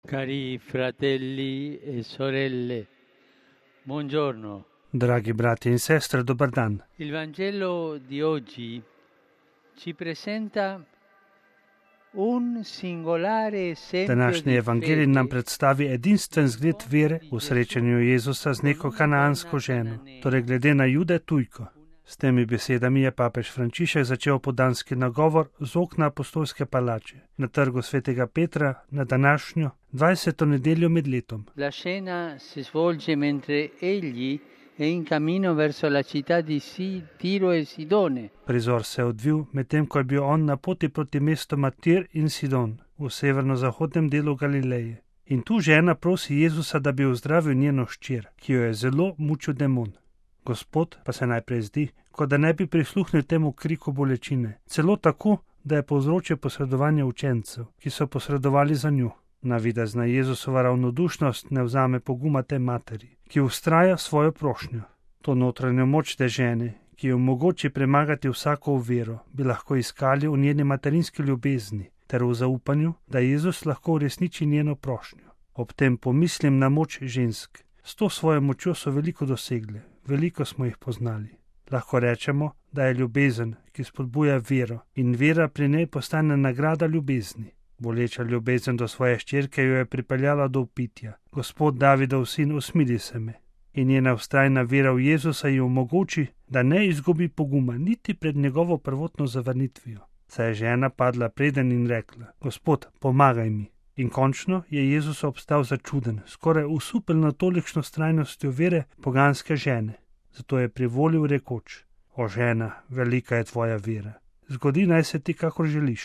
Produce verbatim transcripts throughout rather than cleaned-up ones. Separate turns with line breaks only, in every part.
Cari fratelli e sorelle, buongiorno.
Dragi brati in sestre, dobar dan.
Il Vangelo di oggi ci presenta un singolare esempio
Današnji
di
evangelij
fede
nam predstavi edinstven zgled vere v srečanju Jezusa z neko kanaansko ženo, torej glede na Jude tujko. S temi besedami je papež Frančišek začel podanski nagovor z okna apostolske palače na trgu svetega Petra na današnjo dvajseto nedeljo med letom.
La scena si svolge mentre egli è in cammino verso la città di Si- Tiro e Sidone.
Prizor se je odvil, medtem ko je bil on na poti proti mestoma Tir in Sidon v severno-zahodnem delu Galileje. In tu žena prosi Jezusa, da bi ozdravil njeno hčer, ki jo je zelo mučil demon. Gospod pa se najprej zdi, kot da ne bi prisluhnil temu kriku bolečine, celo tako, da je povzročil posredovanje učencev, ki so posredovali za njo. Navidezna Jezusova ravnodušnost ne vzame poguma te materi, ki vztraja svojo prošnjo. To notranjo moč te žene, ki jo omogoči premagati vsako oviro, bi lahko iskali v njeni materinski ljubezni ter v zaupanju, da Jezus lahko uresniči njeno prošnjo. Ob tem pomislim na moč žensk. S to svojo močjo so veliko dosegle, veliko smo jih poznali. Lahko rečemo, da je ljubezen, ki spodbuja vero, in vera pri njej postane nagrada ljubezni. Boleča ljubezen do svoje hčerke jo je pripeljala do upitja. Gospod Davidov sin, usmili se me. In njena vztrajna vera v Jezusa ji omogoči, da ne izgubi poguma niti pred njegovo prvotno zavrnitvijo. Saj je žena padla preden in rekla: Gospod, pomagaj mi. In končno je Jezus obstal začuden, skoraj usupel na tolikšno vztrajnostjo vere poganske žene. Zato je privolil rekoč: O žena, velika je tvoja vera. Zgodi naj se ti, kakor želiš.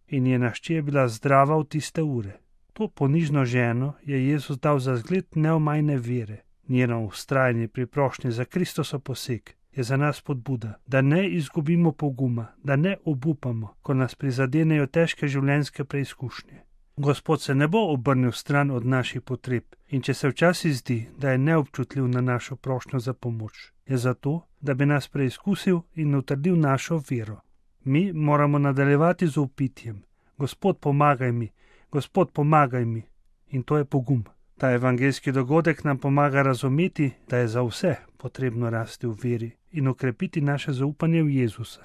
In njena hči je bila zdrava v tiste ure. To ponižno ženo je Jezus dal za zgled neomajne vere. Njeno vztrajanje pri prošnji za Kristoso poseg je za nas spodbuda, da ne izgubimo poguma, da ne obupamo, ko nas prizadenejo težke življenjske preizkušnje. Gospod se ne bo obrnil stran od naših potreb in če se včasih zdi, da je neobčutljiv na našo prošnjo za pomoč, je zato, da bi nas preizkusil in utrdil našo vero. Mi moramo nadaljevati z upitjem: Gospod, pomagaj mi, Gospod, pomagaj mi. In to je pogum. Ta evangeljski dogodek nam pomaga razumeti, da je za vse potrebno rasti v veri in okrepiti naše zaupanje v Jezusa.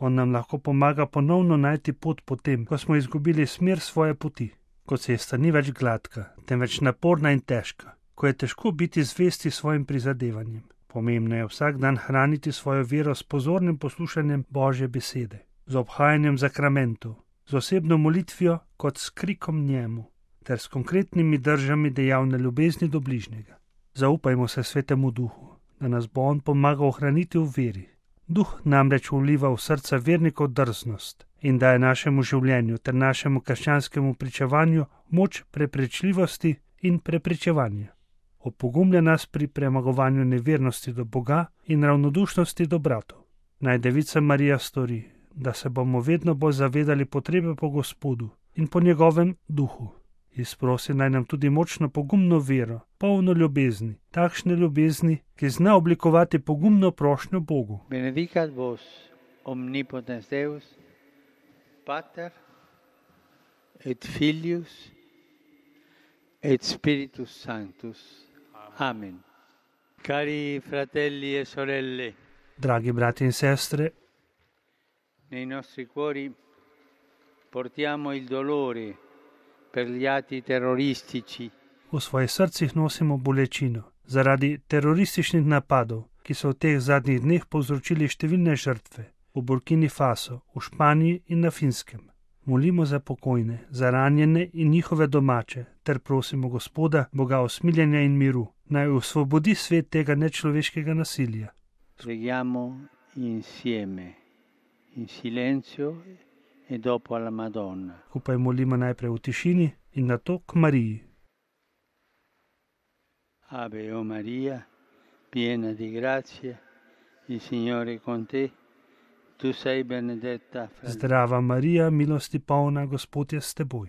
On nam lahko pomaga ponovno najti pot potem, ko smo izgubili smer svoje poti, ko cesta ni več gladka, temveč naporna in težka, ko je težko biti zvesti svojim prizadevanjem. Pomembno je vsak dan hraniti svojo vero s pozornim poslušanjem Božje besede, z obhajanjem zakramentov, z osebno molitvijo kot s krikom njemu, ter s konkretnimi držami dejavne ljubezni do bližnjega. Zaupajmo se Svetemu Duhu, da nas bo on pomagal ohraniti v veri. Duh namreč vliva v srca vernikov drznost in daje našemu življenju ter našemu krščanskemu pričevanju moč preprečljivosti in preprečevanja. Opogumlja nas pri premagovanju nevernosti do Boga in ravnodušnosti do bratov. Naj Devica Marija stori, da se bomo vedno bolj zavedali potrebe po Gospodu in po njegovem duhu. Izprosi naj nam tudi močno pogumno vero, polno ljubezni, takšne ljubezni, ki zna oblikovati pogumno prošnjo Bogu.
Benedicat vos omnipotens Deus, Pater et Filius et Spiritus Sanctus. Amen. Cari fratelli e sorelle,
Dragi brati in sestre,
nei nostri cuori portiamo il dolore per gli atti terroristici.
v svojih srcih nosimo bolečino zaradi terorističnih napadov, ki so v teh zadnjih dneh povzročili številne žrtve v Burkini Faso, v Španiji in na Finskem. Molimo za pokojne, za ranjene in njihove domače, ter prosimo Gospoda, Boga usmiljenja in miru, naj osvobodi svet tega nečloveškega nasilja.
Preghiamo insieme, in silenzio e dopo alla Madonna.
Skupaj molimo najprej v tišini in nato k Mariji.
Ave o Maria, piena di grazia, il Signore è con te. Tu sei benedetta fra
Zdrava Marija, milosti polna, Gospod je s teboj.